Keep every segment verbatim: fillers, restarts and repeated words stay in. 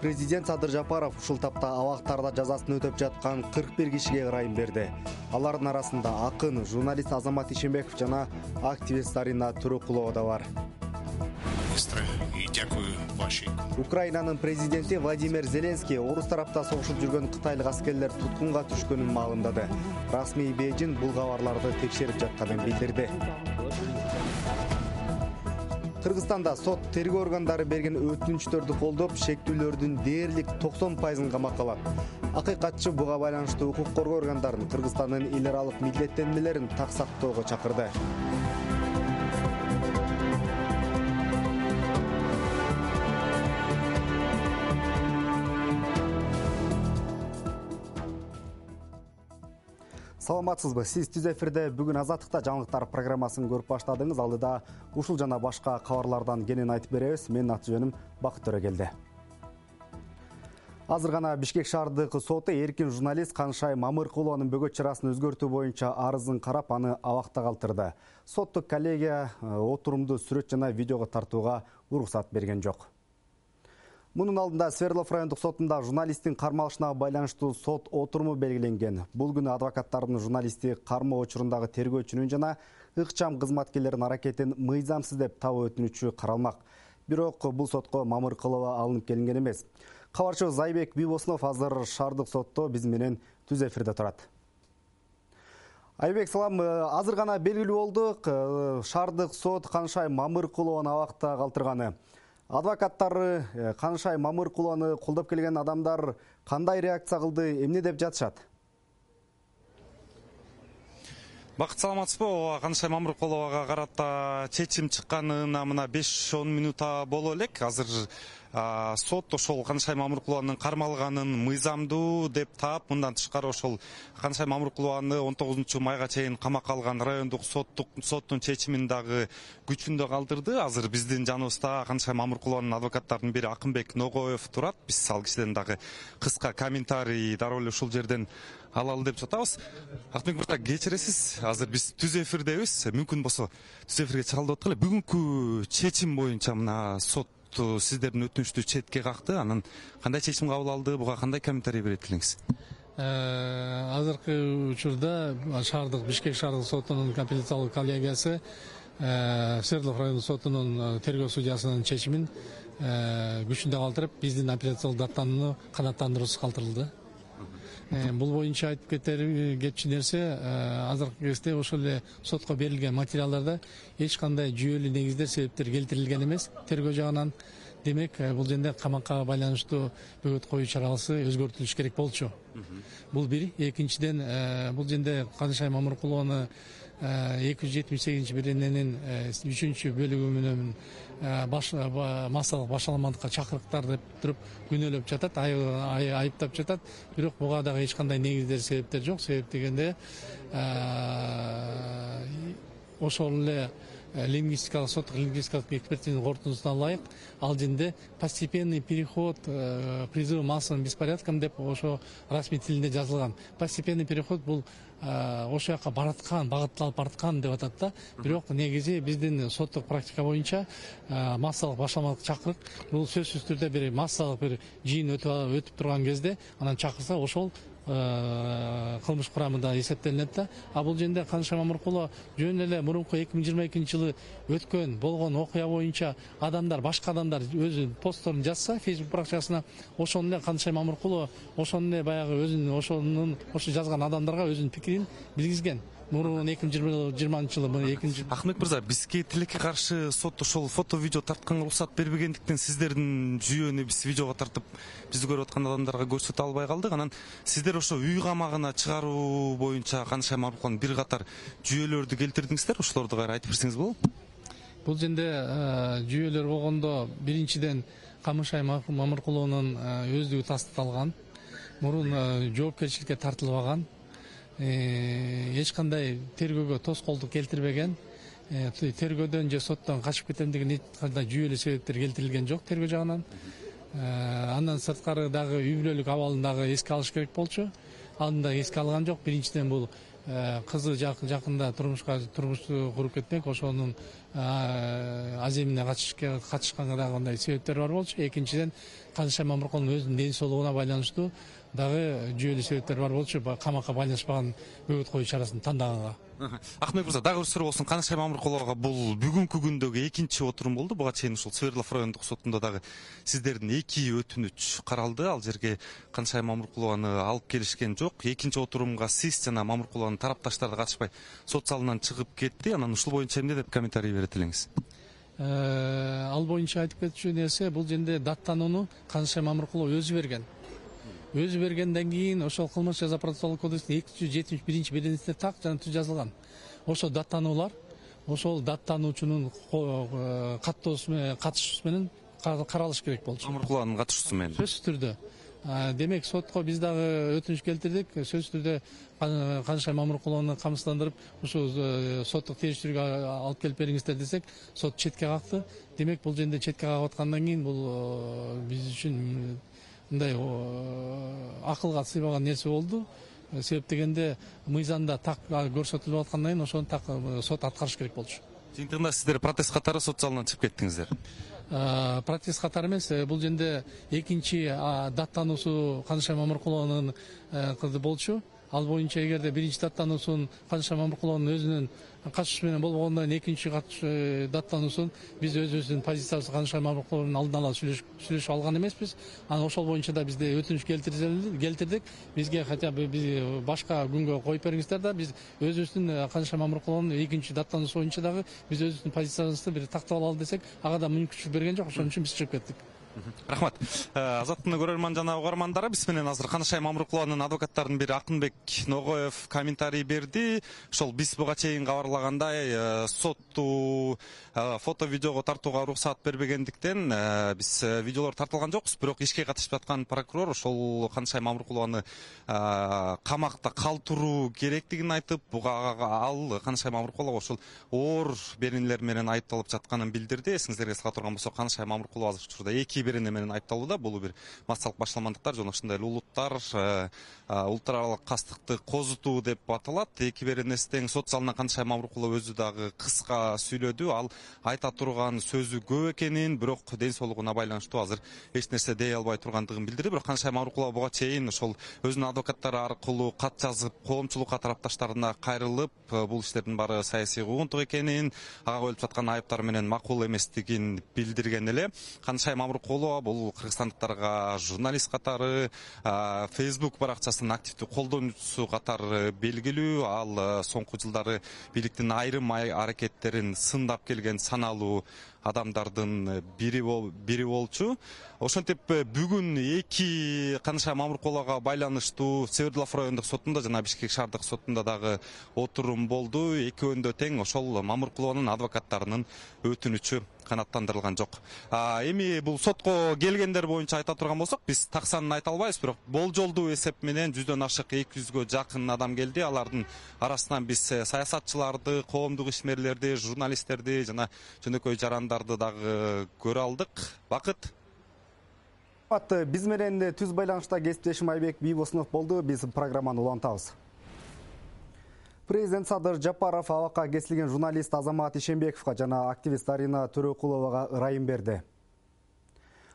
Президент Садыр Жапаров ушул тапта абактарда жазасын өтөп жаткан кырк бир кишиге ырайым берди. Алардын арасында акын, журналист Азамат Ишенбеков жана активист Зарина Турукулова да бар. Украинанын президенти Владимир Зеленский орус тарапта согушуп жүргөн кытайлык аскерлер туткунга түшкөнүн маалымдады. Расмий Бейжин бул кабарларды текшерип жатканын билдирди. Кыргызстанда сот тергөө органдары берген өтүнүчтөрдү колдоп, шектүүлөрдүн дээрлик токсон пайызын камакка алат. Акыйкатчы буга байланыштуу укук коргоо органдарын Кыргызстандын эл аралык милдеттенмелерин так сактоого чакырды. Саламатсызбы? Сиз түз эфирде бүгүн Азаттыкта жаңылыктар программасын көрүп баштадыңыз. Алдыда ушул жана башка кабарлардан кенен айтып беребиз. Менин аты жөнүм Бакыт Төрөгелди. Азыр гана Бишкек шаардык соту эркин журналист Канышай Мамыркулованын бөгөт чарасын өзгөртүү боюнча арызын карап, аны абакта калтырды. Соттук коллегия отурумду сүрөт жана видеого тартууга уруксат берген жок. Мунун алдында Свердлов райондук сотунда журналисттин кармалышына байланыштуу сот отуруму белгиленген. Бул күнү адвокаттардын журналистти кармоо учурундагы тергөөчүнүн жана ыкчам кызматкерлердин аракетин мыйзамсыз деп табуу өтүнүчү каралмак. Бирок бул сотко Мамыркулова алынып келинген эмес. Кабарчыбыз Зайбек Бибосунов азыр шаардык сотто биз менен түз эфирде турат. Айбек, салам. Азыр гана белгилүү болдук, шаардык сот Канышай Мамыркулованы абакта калтырганы. Адвокаттары Канышай Мамыркулованы колдоп келген адамдар кандай реакция кылды, эмне деп жатышат? Бакыт, саламатсызбы? Ооба, Канышай Мамыркуловага карата чечим чыкканына мына беш он минута боло элек. Азыр сот ошол Канышай Мамыркулованын кармалганын мыйзамдуу деп таап, мындан тышкары ошол Канышай Мамыркулованы он тогузунчу майга чейин камакка алган райондук соттук соттун чечимин дагы күчүндө калтырды. Азыр биздин жаныбызда Канышай Мамыркулованын адвокаттарынын бири Акынбек Ногоев турат. Биз ал кишиден дагы кыска комментарий дароо эле ушул жерден алалы деп жатабыз. Акынбек мырза, кечиресиз, азыр биз түз эфирдебиз. Мүмкүн болсо түз эфирге чыгалып аткылы. Бүгүнкү чечим боюнча мына сот сиздердин өтүнүчтү четке какты. Анан кандай чечим кабыл алды, буга кандай комментарий берет элеңиз? Азыркы учурда шаардык Бишкек шаардык сотунун апелляциялык коллегиясы Свердлов райондук сотунун тергөө судьясынын чечимин күчүндө калтырып, биздин апелляциялык даттанууну канааттандыруусуз калтырылды. Бул боюнча айтып кетчү нерсе, азыркы кезде ошол эле сотко берилген материалдарда эч кандай жүйөлүү негиздер, себептер келтирилген эмес. Тергөө жагынан, демек, бул жерде камакка байланыштуу бөгөт коюу чарасы өзгөртүлүш керек болчу. Бул бир. Экинчиден, бул жерде Канышай Мамыркулованы эки жүз жетимиш сегизинчи берененин үчүнчү бөлүгү менен массалык башаламандыкка чакырыктар деп туруп күнөөлөп жатат, айыптап жатат. Бирок буга дагы эч кандай негиздер, себептер жок. Себеп дегенде ошол эле лингвистикалык соттук лингвистикалык экспертизанын корутундусуна ылайык ал жерде постепенный переход призыв массовым беспорядкам деп ошо расмий тилинде жазылган. Постепенный переход бул ошол жака бараткан, багытталып бараткан деп атат да. Бирок негизи биздин соттук практика боюнча массалык башаламалык чакырык бул сөзсүз түрдө бир массалык бир жыйын өтүп турган кезде анан чакырса ошол кылмыш курамында эсептелинет да. А бул жерде Канышай Мамыркулова жөн эле мурунку эки миң жыйырма экинчи жылы өткөн болгон окуя боюнча адамдар, башка адамдар өзүнүн постторун жазса Facebook баракчасына, ошону эле Канышай Мамыркулова ошону эле баягы өзүнүн ошонун ошо жазган адамдарга өзүнүн пикирин билгизген. Мурун эки миң жыйырманчы жылы экинчи. Акынбек мырза, бизге тилекке каршы сот ошол фото видео тартканга уруксат бербегендиктен сиздердин жүйөнү биз видеого тартып бизди көрүп аткан адамдарга көрсөтө албай калдык. Анан сиздер ошо үй камагына чыгаруу боюнча Канышай Мамыркулованын бир катар жүйөлөрдү келтирдиңиздер. Ошолорду кайра айтып берсеңиз болобу? Бул жерде жүйөлөр болгондо биринчиден Канышай Мамыркулованын өздүгү тастыкталган, мурун жоопкерчиликке тартылбаган, эч кандай тергөөгө тоскоолдук келтирбеген, тергөөдөн же соттон качып кетем деген эч кандай жүйөлүү себептер келтирилген жок тергөө жагынан. Андан сырткары дагы үй бүлөлүк абалын дагы эске алыш керек болчу. Аны да эске алган жок. Биринчиден бул кызы жакында турмушка турмушту куруп кетмек, ошонун аземине катышканга дагы андай себептер бар болчу. Экинчиден, Канышай Мамыркуловдун өзүнүн ден соолугуна байланыштуу дагы жүйөлүү себептер бар болчу, камакка байланышпаган бөгөт коюу чарасын тандаганга. Акмек мырза, дагы бир суроо болсун. Канышай Мамыркуловага бул бүгүнкү күндөгү экинчи отурум болду. Буга чейин ушул Свердлов райондук сотунда дагы сиздердин эки өтүнүч каралды. Ал жерге Канышай Мамыркулованы алып келишкен жок. Экинчи отурумга сиз жана Мамыркулованын тарапташтары катышпай сот залынан чыгып кетти. Анан ушул боюнча эмне деп комментарий берет элеңиз? Ал боюнча айтып кетчү нерсе, бул жерде даттанууну Канышай Мамыркулова өзү берген. Өзү бергенден кийин ошол кылмыш жаза процессуалдык кодекстин эки жүз жетимиш биринчи беренесинде так жана түз жазылган. Ошол даттануулар ошол даттануучунун каттоосу менен катышуусу менен каралыш керек болчу. Мамыркулованын катышуусу менен. Сөзсүз түрдө. Демек сотко биз дагы өтүнүч келтирдик. Сөзсүз түрдө Канышай Мамыркулованы камсыздандырып, ушул соттук териштирүүгө алып келип бериңиздер десек, сот четке какты. Демек бул жерде четке кагып аткандан кийин бул биз үчүн мындай акылга сыйбаган нерсе болду. Себеп дегенде мыйзамда так көрсөтүлүп аткандан кийин ошону так сот аткарыш керек болчу. Жыйынтыгында сиздер протест катары сот залынан чыгып кеттиңиздер. Протест катары эмес, бул жерде экинчи даттануусу Канышай Мамыркулованын кызы болчу. Ал боюнча эгерде биринчи даттануусун Канышай Мамыркулованын өзүнүн катышуусу менен болбогондон кийин экинчи даттануусун биз өзүбүздүн позициябызды Канышай Мамыркулованын алдын ала сүйлөшүп алган эмеспиз. Анан ошол боюнча да бизде өтүнүч келтирдик. Бизге хотя бы биз башка күнгө коюп бериңиздер да, биз өзүбүздүн Канышай Мамыркулованын экинчи даттануусу боюнча дагы биз өзүбүздүн позициябызды бир тактап алалы десек, ага да мүмкүнчүлүк берген жок. Ошон үчүн биз чыгып кеттик. Рахмат. Азаттын көрөрман жана угармандары, биз менен азыр Канышай Мамыркулованын адвокаттарынын бири Акынбек Ногоев комментарий берди. Ошол биз буга чейин кабарлагандай сотту фото видеого тартууга уруксаат бербегендиктен биз видеолор тартылган жокпуз. Бирок ишке катышып аткан прокурор ошол Канышай Мамыркулованы камакта калтыруу керектигин айтып, буга ал Канышай Мамыркулова ошол оор беренелер менен айыпталып жатканын билдирди. Эсиңиздерге сала турган болсок, Канышай Мамыркулова азыр учурда эки берене менен айыпталууда. Бул бир массалык башаламандыктар жана ошондой эле улуттар улуттар аралык кастыкты козутуу деп аталат. Эки беренеси тең. Сот залына Канышай Мамыркулова өзү дагы кыска сүйлөдү. Ал айта турган сөзү көп экенин, бирок ден соолугуна байланыштуу азыр эч нерсе дей албай тургандыгын билдирди. Бирок Канышай Мамыркулова буга чейин ошол өзүнүн адвокаттары аркылуу кат жазып, коомчулукка тарапташтарына кайрылып, бул иштердин баары саясий куугунтук экенин, ага коюлуп жаткан айыптар менен макул эместигин билдирген эле. Канышай Мамыркулова бул кыргызстандыктарга журналист катары, Facebook баракчасынын активдүү колдонуучусу катары белгилүү. Ал соңку жылдары бийликтин айрым аракеттерин сындап келген саналуу адамдардын бири бири болчу. Ошентип бүгүн эки Канышай Мамыркуловага байланыштуу Свердлов райондук сотунда жана Бишкек шаардык сотунда дагы отурум болду. Экөөндө тең ошол Мамыркулованын адвокаттарынын өтүнүчү канааттандырылган жок. Эми бул сотко келгендер боюнча айта турган болсок, биз так санын айта албайбыз, бирок болжолдуу эсеп менен жүздөн ашык эки жүзгө жакын адам келди. Алардын арасынан биз саясатчыларды, коомдук ишмерлерди, журналисттерди жана жөнөкөй жарандарды дагы көрө алдык. Бакыт. Биз менен түз байланышта кесиптешим Айбек Бийбосунов болду. Биз программаны улантабыз. Президент Садыр Жапаров абакка кесилген журналист Азамат Ишенбековго жана активист Арина Төрөкуловага ырайым берди.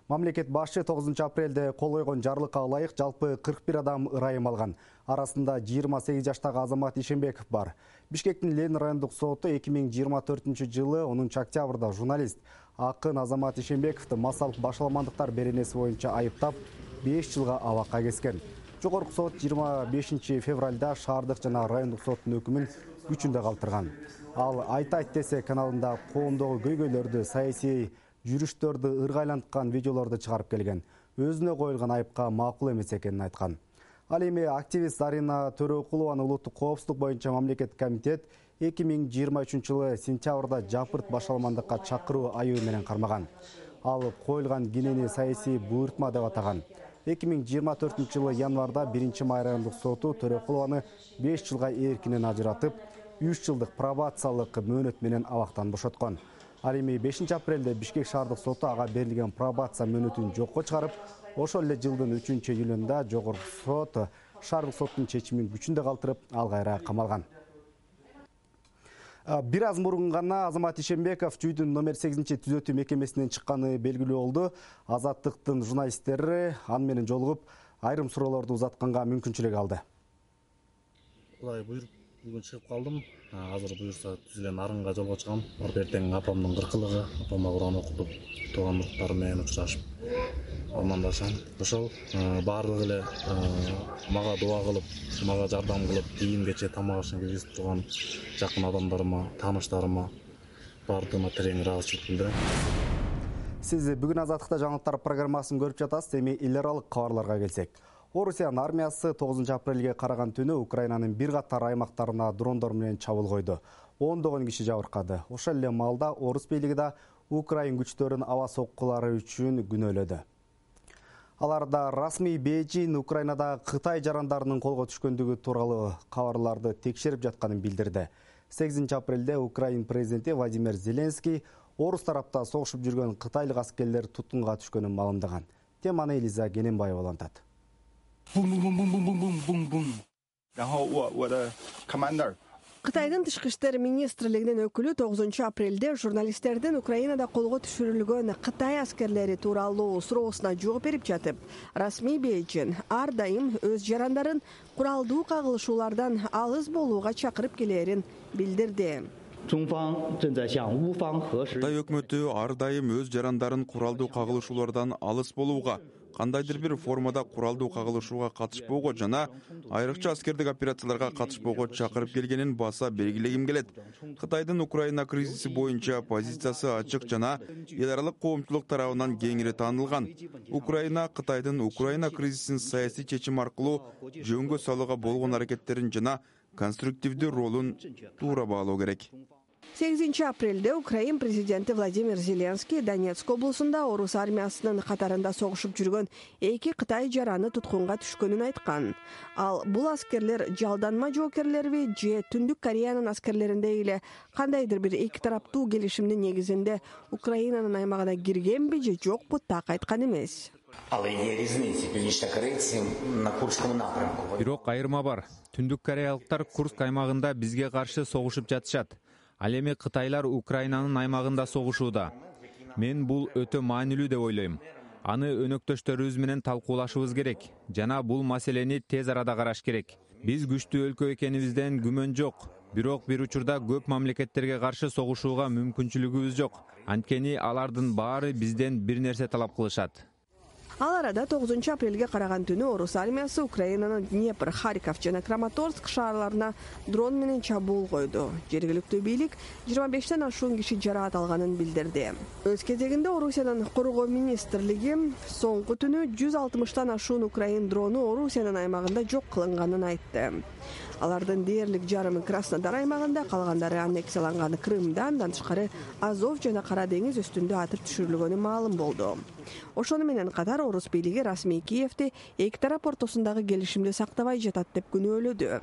Мамлекет башы тогузунчу апрелде кол койгон жарлыкка ылайык жалпы кырк бир адам ырайым алган. Арасында жыйырма сегиз жаштагы Азамат Ишенбеков бар. Бишкектин Ленин райондук соту эки миң жыйырма төртүнчү жылы онунчу октябрда журналист Акын Азамат Ишенбековду массалык башаламандыктар беренеси боюнча айыптап беш жылга абакка кескен. Жогорку сот жыйырма бешинчи февралда шаардык жана райондук соттун өкүмүн күчүндө калтырган. Ал Айта айт десе каналында коомдогу көйгөйлөрдү, саясий жүрүштөрдү ыргайланткан видеолорду чыгарып келген. Өзүнө коюлган айыпка макул эмес экенин айткан. Ал эми активист Арина Төрөкулованы улуттук коопсуздук боюнча мамлекеттик комитет эки миң жыйырма үчүнчү жылы сентябрда жапырт башаламандыкка чакыруу айыбы менен кармаган. Ал коюлган кенени саясий буйртма деп атаган. эки миң жыйырма төртүнчү жылы январда биринчи май райондук соту Төрөкулованы беш жылга эркинен ажыратып, үч жылдык пробациялык мөөнөт менен абактан бошоткон. Ал эми бешинчи апрелде Бишкек шаардык соту ага берилген пробация мөөнөтүн жокко чыгарып, ошол эле жылдын үчүнчү июлунда жогорку сот шаардык соттун чечимин күчүндө калтырып, ал кайра камалган. Бир аз мурун гана Азамат Ишенбеков жүйдүн номер сегизинчи түзөтүү мекемесинен чыкканы белгилүү болду. Азаттыктын журналисттери аны менен жолугуп, айрым суроолорду узатканга мүмкүнчүлүк алды. Кудай буйруп, бүгүн чыгып калдым. Азыр буюрса түзүлгөн арынга жолго чыгам. Барып эртең апамдын кыркылыгы, апама Куран окутуп, туугандыктар менен учурашып, амандашам. Ошол баардыгы эле мага дуа кылып, мага жардам кылып, кийим кече тамак ашын киргизип турган жакын адамдарыма, тааныштарыма баардыгына терең ыраазычылык билдирем. Сиз бүгүн Азаттыкта жаңылыктар программасын көрүп жатасыз. Эми эл аралык кабарларга келсек. Орусиянын армиясы тогузунчу апрелге караган түнү Украинанын бир катар аймактарына дрондор менен чабуул койду. ондогон киши жабыркады. Ошол эле маалда орус бийлиги да Украин күчтөрүн аба соккулары үчүн күнөөлөдү. Аларда расмий Бейжин Украинада Кытай жарандарынын колго түшкөндүгү тууралуу кабарларды текшерип жатканын билдирди. сегизинчи апрелде Украин президенти Владимир Зеленский орус тарапта согушуп жүргөн кытайлык аскерлер туткунга түшкөнүн маалымдаган. Теманы Элиза Гененбаева улантат. Кытайдын тышкы иштер министрлигинин өкүлү тогузунчу апрелде журналисттердин Украинада колго түшүрүлгөн Кытай аскерлери тууралуу суроосуна жооп берип жатып, расмий Бейжин ар дайым өз жарандарын куралдуу кагылышуулардан алыс болууга чакырып келээрин билдирди. Кытай өкмөтү ар дайым өз жарандарын куралдуу кагылышуулардан алыс болууга, кандайдыр бир формада куралдуу кагылышууга катышпоого жана айрыкча аскердик операцияларга катышпоого чакырып келгенин баса белгилегим келет. Кытайдын Украина кризиси боюнча позициясы ачык жана эл аралык коомчулук тарабынан кеңири таанылган. Украина Кытайдын Украина кризисин саясий чечим аркылуу жөнгө салууга болгон аракеттерин жана конструктивдүү ролун туура баалоо керек. сегизинчи апрелде Украин президенти Владимир Зеленский Донецк облусунда орус армиясынын катарында согушуп жүргөн эки Кытай жараны туткунга түшкөнүн айткан. Ал бул аскерлер жалданма жоокерлерби же Түндүк Кореянын аскерлериндей эле кандайдыр бир эки тараптуу келишимдин негизинде Украинанын аймагына киргенби же жокпу так айткан эмес. Бирок айырма бар. Түндүк кореялыктар Курск аймагында бизге каршы согушуп жатышат. Ал эми Кытайлар Украинанын аймагында согушууда. Мен бул өтө маанилүү деп ойлойм. Аны өнөктөштөрүбүз менен талкуулашыбыз керек жана бул маселени тез арада караш керек. Биз күчтүү өлкө экенибизден күмөн жок. Бирок бир учурда көп мамлекеттерге каршы согушууга мүмкүнчүлүгүбүз жок. Анткени алардын баары бизден бир нерсе талап кылышат. Ал арада тогузунчу апрелге караган түнү орус армиясы Украинанын Днепр, Харьков жана Краматорск шаарларына дрон менен чабуул койду. Жергиликтүү бийлик жыйырма бештен ашуун киши жараат алганын билдирди. Өз кезегинде Орусиянын коргоо министрлиги соңку түнү жүз алтымыштан ашуун Украин дрону Орусиянын аймагында жок кылынганын айтты. Алардын дээрлик жарымы Краснодар аймагында, калгандары аннексияланган Крымда, андан тышкары Азов жана Кара деңиз үстүндө атып түшүрүлгөнү маалым болду. Ошону менен катар орус бийлиги расмий Киевди эки тарап ортосундагы келишимди сактабай жатат деп күнөөлөдү.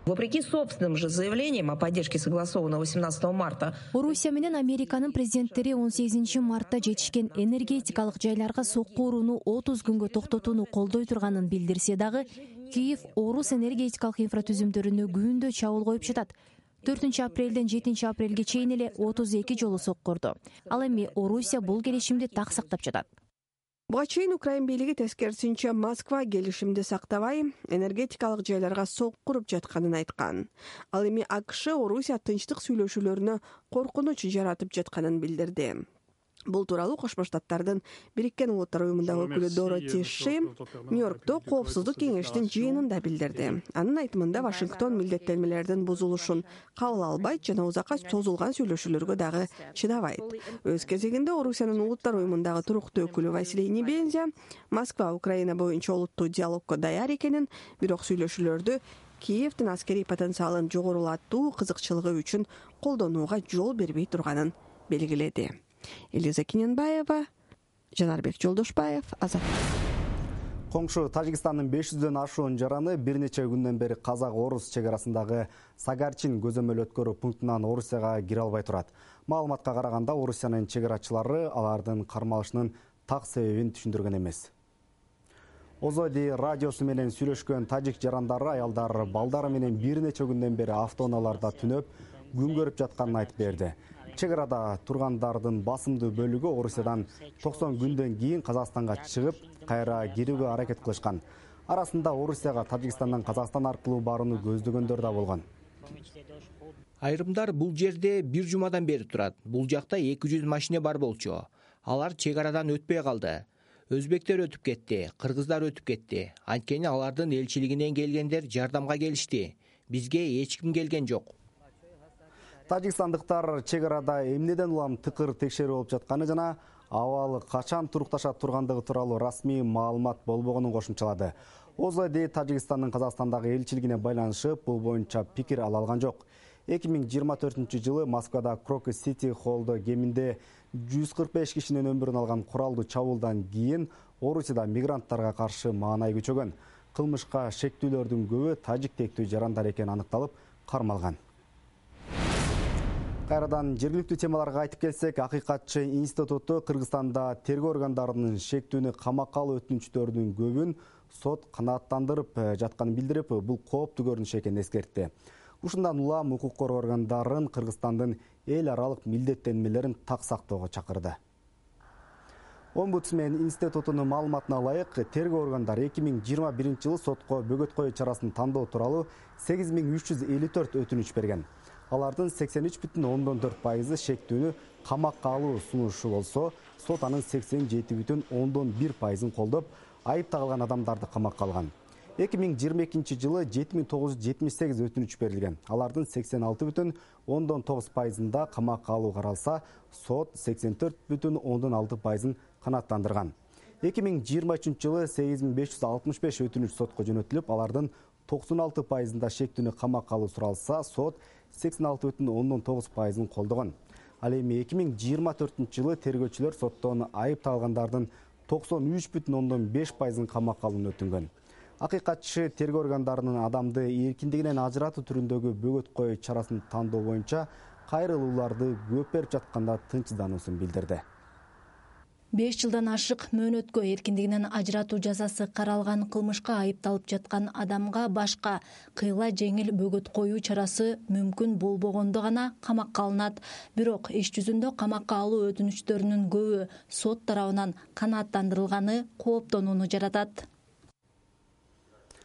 Вопреки собственным же заявлениям о поддержке согласованного восемнадцатого марта, Орусия менен Американын президенттери он сегизинчи мартта жетишкен энергетикалык жайларга сокку урууну отуз күнгө токтотууну колдой турганын билдирсе дагы, Киев орус энергетикалык инфратүзүмдөрүнө күндө чабуул коюп жатат. төртүнчү апрелден жетинчи апрелге чейин эле отуз эки жолу соккурду. Ал эми Орусия бул келишимди так сактап жатат. Буга чейин Украин бийлиги тескерисинче Москва келишимди сактабай, энергетикалык жайларга сокку куруп жатканын айткан. Ал эми АКШ Орусия тынчтык сүйлөшүүлөрүнө коркунуч жаратып жатканын билдирди. Бул тууралуу Кошмо Штаттардын Бириккен Улуттар уюмундагы өкүлү Дороти Ши Нью-Йоркто Коопсуздук кеңештин жыйынында билдирди. Анын айтымында Вашингтон милдеттенмелердин бузулушун кабыл албайт жана узакка созулган сүйлөшүүлөргө дагы чыдабайт. Өз кезегинде Орусиянын Улуттар уюмундагы туруктуу өкүлү Василий Небензя Москва Украина боюнча олуттуу диалогко даяр экенин, бирок сүйлөшүүлөрдү Киевдин аскерий потенциалын жогорулатуу кызыкчылыгы үчүн колдонууга жол бербей турганын белгиледи. Элиза Гененбаева, Жанарбек Жолдошбаев, Азат. Коңшу Тажикстандын беш жүздөн ашуун жараны бир нече күндөн бери казак-орус чек арасындагы Сагарчин көзөмөл өткөрүү пунктунан Орусияга кире албай турат. Маалыматка караганда Орусиянын чек арачылары алардын кармалышынын так себебин түшүндүргөн эмес. Озоди радиосу менен сүйлөшкөн тажик жарандары аялдар балдары менен бир нече күндөн бери автоунааларда түнөп күн көрүп жатканын айтып берди. Чек арада тургандардын басымдуу бөлүгү Орусиядан токсон күндөн кийин Казакстанга чыгып, кайра кирүүгө аракет кылышкан. Арасында Орусияга Тажикстандан Казакстан аркылуу барууну көздөгөндөр да болгон. Айрымдар бул жерде бир жумадан бери турат. Бул жакта эки жүз машина бар болчу. Алар чек арадан өтпөй калды. Өзбектер өтүп кетти, кыргыздар өтүп кетти. Анткени алардын элчилигинен келгендер жардамга келишти. Бизге эч ким келген жок. Тажикстандыктар чек арада эмнеден улам тыкыр текшерүү болуп жатканы жана абалы качан турукташа тургандыгы тууралуу расмий маалымат болбогонун кошумчалады. Озоди Тажикстандын Казакстандагы элчилигине байланышып, бул боюнча пикир ала алган жок. эки миң жыйырма төртүнчү жылы Москвада Крокус Сити Холлдо кеминде жүз кырк беш кишинин өмүрүн алган куралдуу чабуулдан кийин Орусияда мигранттарга каршы маанай күчөгөн. Кылмышка шектүүлөрдүн көбү тажик тектүү жарандар экени аныкталып, кармалган. Кайрадан жергиликтүү темаларга айтып келсек, Акыйкатчы институту Кыргызстанда тергөө органдарынын шектүүнү камакка алуу өтүнүчтөрүнүн көбүн сот канааттандырып жатканын билдирип, бул кооптуу көрүнүш экенин эскертти. Ушундан улам укук коргоо органдарын Кыргызстандын эл аралык милдеттенмелерин так сактоого чакырды. Омбудсмен институтунун маалыматына ылайык, тергөө органдары эки миң жыйырма биринчи жылы сотко бөгөт коюу чарасын тандоо тууралуу сегиз миң үч жүз элүү төрт өтүнүч берген. Алардын сексен үч бүтүн ондон төрт пайызы шектүүнү камакка алуу сунушу болсо, сот анын сексен жети бүтүн ондон бир пайызын колдоп, айып тагылган адамдарды камакка алган. эки миң жыйырма экинчи жылы жети миң тогуз жүз жетимиш сегиз өтүнүч берилген. Алардын сексен алты бүтүн ондон тогуз пайызында камакка алуу каралса, сот сексен төрт бүтүн ондон алты пайызын канааттандырган. эки миң жыйырма үчүнчү жылы сегиз миң беш жүз алтымыш беш өтүнүч сотко жөнөтүлүп, алардын токсон алты пайызында шектүүнү камакка алуу суралса, сот сексен алты бүтүн ондон тогуз пайызын колдогон. Ал эми эки миң жыйырма төртүнчү жылы тергөөчүлөр соттон айып тагылгандардын токсон үч бүтүн ондон беш пайызын камакка алууну өтүнгөн. Акыйкатчы тергөө органдарынын адамды эркиндигинен ажыратуу түрүндөгү бөгөт коюу чарасын тандоо боюнча кайрылууларды көп берип жатканда тынчсыздануусун билдирди. беш жылдан ашык мөөнөткө эркиндигинен ажыратуу жазасы каралган кылмышка айыпталып жаткан адамга башка кыйла жеңил бөгөт коюу чарасы мүмкүн болбогондо гана камакка алынат. Бирок иш жүзүндө камакка алуу өтүнүчтөрүнүн көбү сот тарабынан канааттандырылганы кооптонууну жаратат.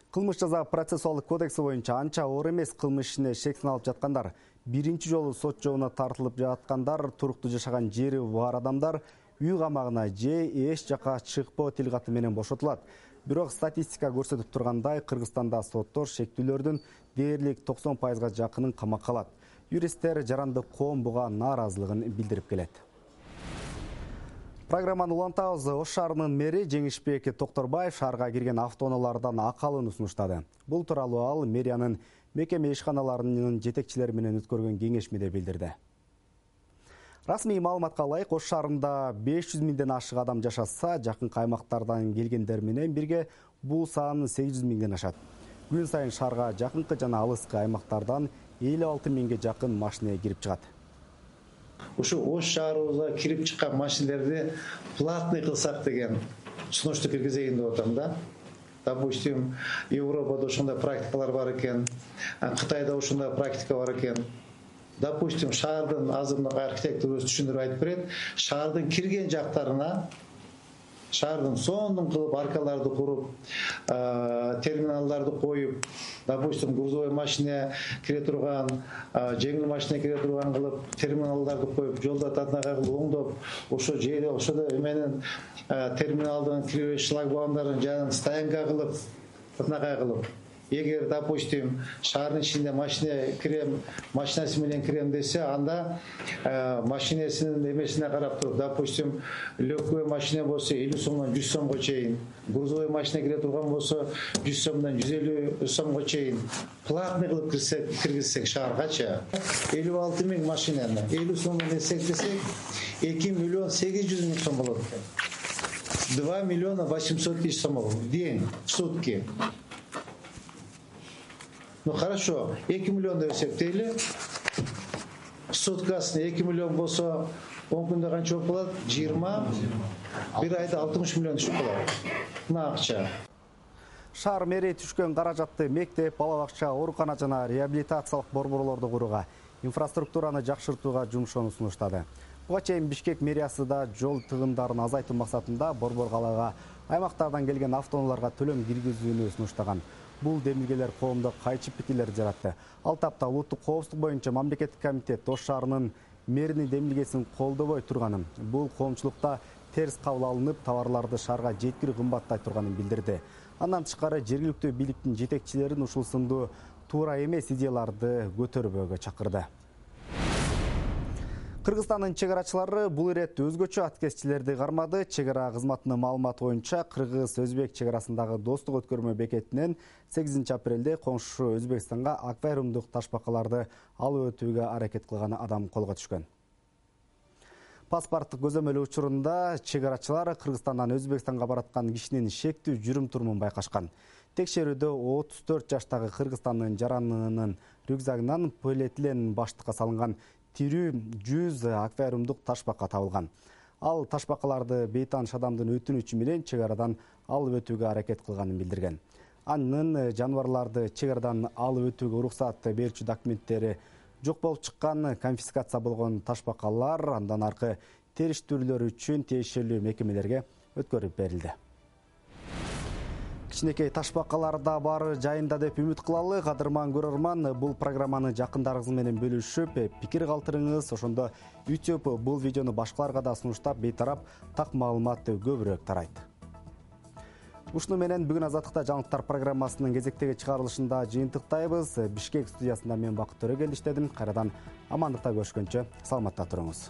Кылмыш жаза процессуалдык кодекси боюнча анча оор эмес кылмыш ишине шектен алып жаткандар, биринчи жолу сот жообуна тартылып жаткандар, туруктуу жашаган жери бар адамдар үй камагына же эч жака чыкпоо тилкаты менен бошотулат. Бирок статистика көрсөтүп тургандай, Кыргызстанда соттор шектүүлөрдүн дээрлик токсон пайызга жакынын камакка алат. Юристтер жарандык коом буга нааразылыгын билдирип келет. Программаны улантабыз. Ош шаарынын мэри Жеңишбек Токторбаев шаарга кирген автоунаалардан акалууну сунуштады. Бул тууралуу ал мэриянын мекеме ишканаларынын жетекчилери менен өткөргөн кеңешмеде билдирди. Расмий маалыматка ылайык, Ош шаарында беш жүз миңден ашык адам жашаса, жакын аймактардан келгендер менен бирге бул сан сегиз жүз миңден ашат. Күн сайын шаарга жакынкы жана алыскы аймактардан элүү алты миңге жакын машина кирип чыгат. Ушу Ош шаарыбызга кирип чыккан машинелерди платный кылсак деген сунушту киргизейин деп атам да. Допустим, Европада ошондой практикалар бар экен, Кытайда ошондой практика бар экен. Допустим, шаардын азыркы архитектор өз түшүндүрүп айтып берет, шаардын кирген жактарына шаардын сондун кылып аркаларды куруп, терминалдарды коюп, допустим, грузовой машина кире турган, жеңил машина кире турган кылып, терминалдарды коюп, жолдо татнага кылып оңдоп, ошо жерде ошодо эменин терминалдын киребеш шлагбаумдарын жанын стоянка кылып, татнага кылып, эгер, допустим, шаардын ичинде машина кирем, машинасы менен кирем десе, анда машинесинин эмесине карап туруп, допустим, легкой машина болсо элүү сомдон жүз сомго чейин, грузовой машина кире турган болсо жүз сомдон жүз элүү сомго чейин платный кылып кирсек, киргизсек шааргачы элүү алты миң машинаны элүү сомдон эсептесек, эки миллион сегиз жүз миң сом болот экен. два миллиона восемьсот тысяч сом в день, в сутки. Ну хорошо, эки миллион деп эсептейли. Суткасына эки миллион болсо, он күндө канча болуп калат? жыйырма, бир айда алтымыш миллион түшүп калат. Мына акча. Шаар мэри түшкөн каражатты мектеп, бала бакча, оорукана жана реабилитациялык борборлорду курууга, инфраструктураны жакшыртууга жумшоону сунуштады. Буга чейин Бишкек мэриясы да жол тыгындарын азайтуу максатында борбор калаага аймактардан келген автоунааларга төлөм киргизүүнү сунуштаган. Бул демилгелер коомдо кайчы пикирлер жаратты. Ал тапта улуттук коопсуздук боюнча мамлекеттик комитет Ош шаарынын мэринин демилгесин колдобой турганын, бул коомчулукта терс кабыл алынып, товарларды шаарга жеткирүү кымбаттай турганын билдирди. Андан тышкары жергиликтүү бийликтин жетекчилерин ушул сындуу туура эмес идеяларды көтөрбөөгө чакырды. Кыргызстандын чек арачылары бул ирет өзгөчө аткезчилерди кармады. Чек ара кызматынын маалыматы боюнча Кыргыз-Өзбек чек арасындагы достук өткөрмө бекетинен сегизинчи апрелде коңшу Өзбекстанга аквариумдук ташбакаларды алып өтүүгө аракет кылган адам колго түшкөн. Паспорттук көзөмөл учурунда чек арачылар Кыргызстандан Өзбекстанга бараткан кишинин шектүү жүрүм-турумун байкашкан. Текшерүүдө отуз төрт жаштагы Кыргызстандын жаранынын рюкзагынан полиэтилен баштыкка салынган тирүү жүз аквариумдук ташбака табылган. Ал ташбакаларды бейтааныш адамдын өтүнүчү менен чек арадан алып өтүүгө аракет кылганын билдирген. Анын жаныбарларды чек арадан алып өтүүгө уруксат берүүчү документтери жок болуп чыккан, конфискация болгон ташбакалар андан аркы териштирүүлөр үчүн тиешелүү мекемелерге өткөрүп берилди. Кичинекей ташбакалар да бар жайында деп үмүт кылалы. Кадырман көрөрман, бул программаны жакындарыңыз менен бөлүшүп, пикир калтырыңыз. Ошондо YouTube бул видеону башкаларга да сунуштап, бейтарап так маалымат көбүрөөк тарайт. Ушуну менен бүгүн Азаттыкта жаңылыктар программасынын кезектеги чыгарылышында жыйынтыктайбыз. Бишкек студиясында мен Бакыт Төрөгел иштедим. Кайрадан амандыкта көрүшкөнчө саламатта туруңуз.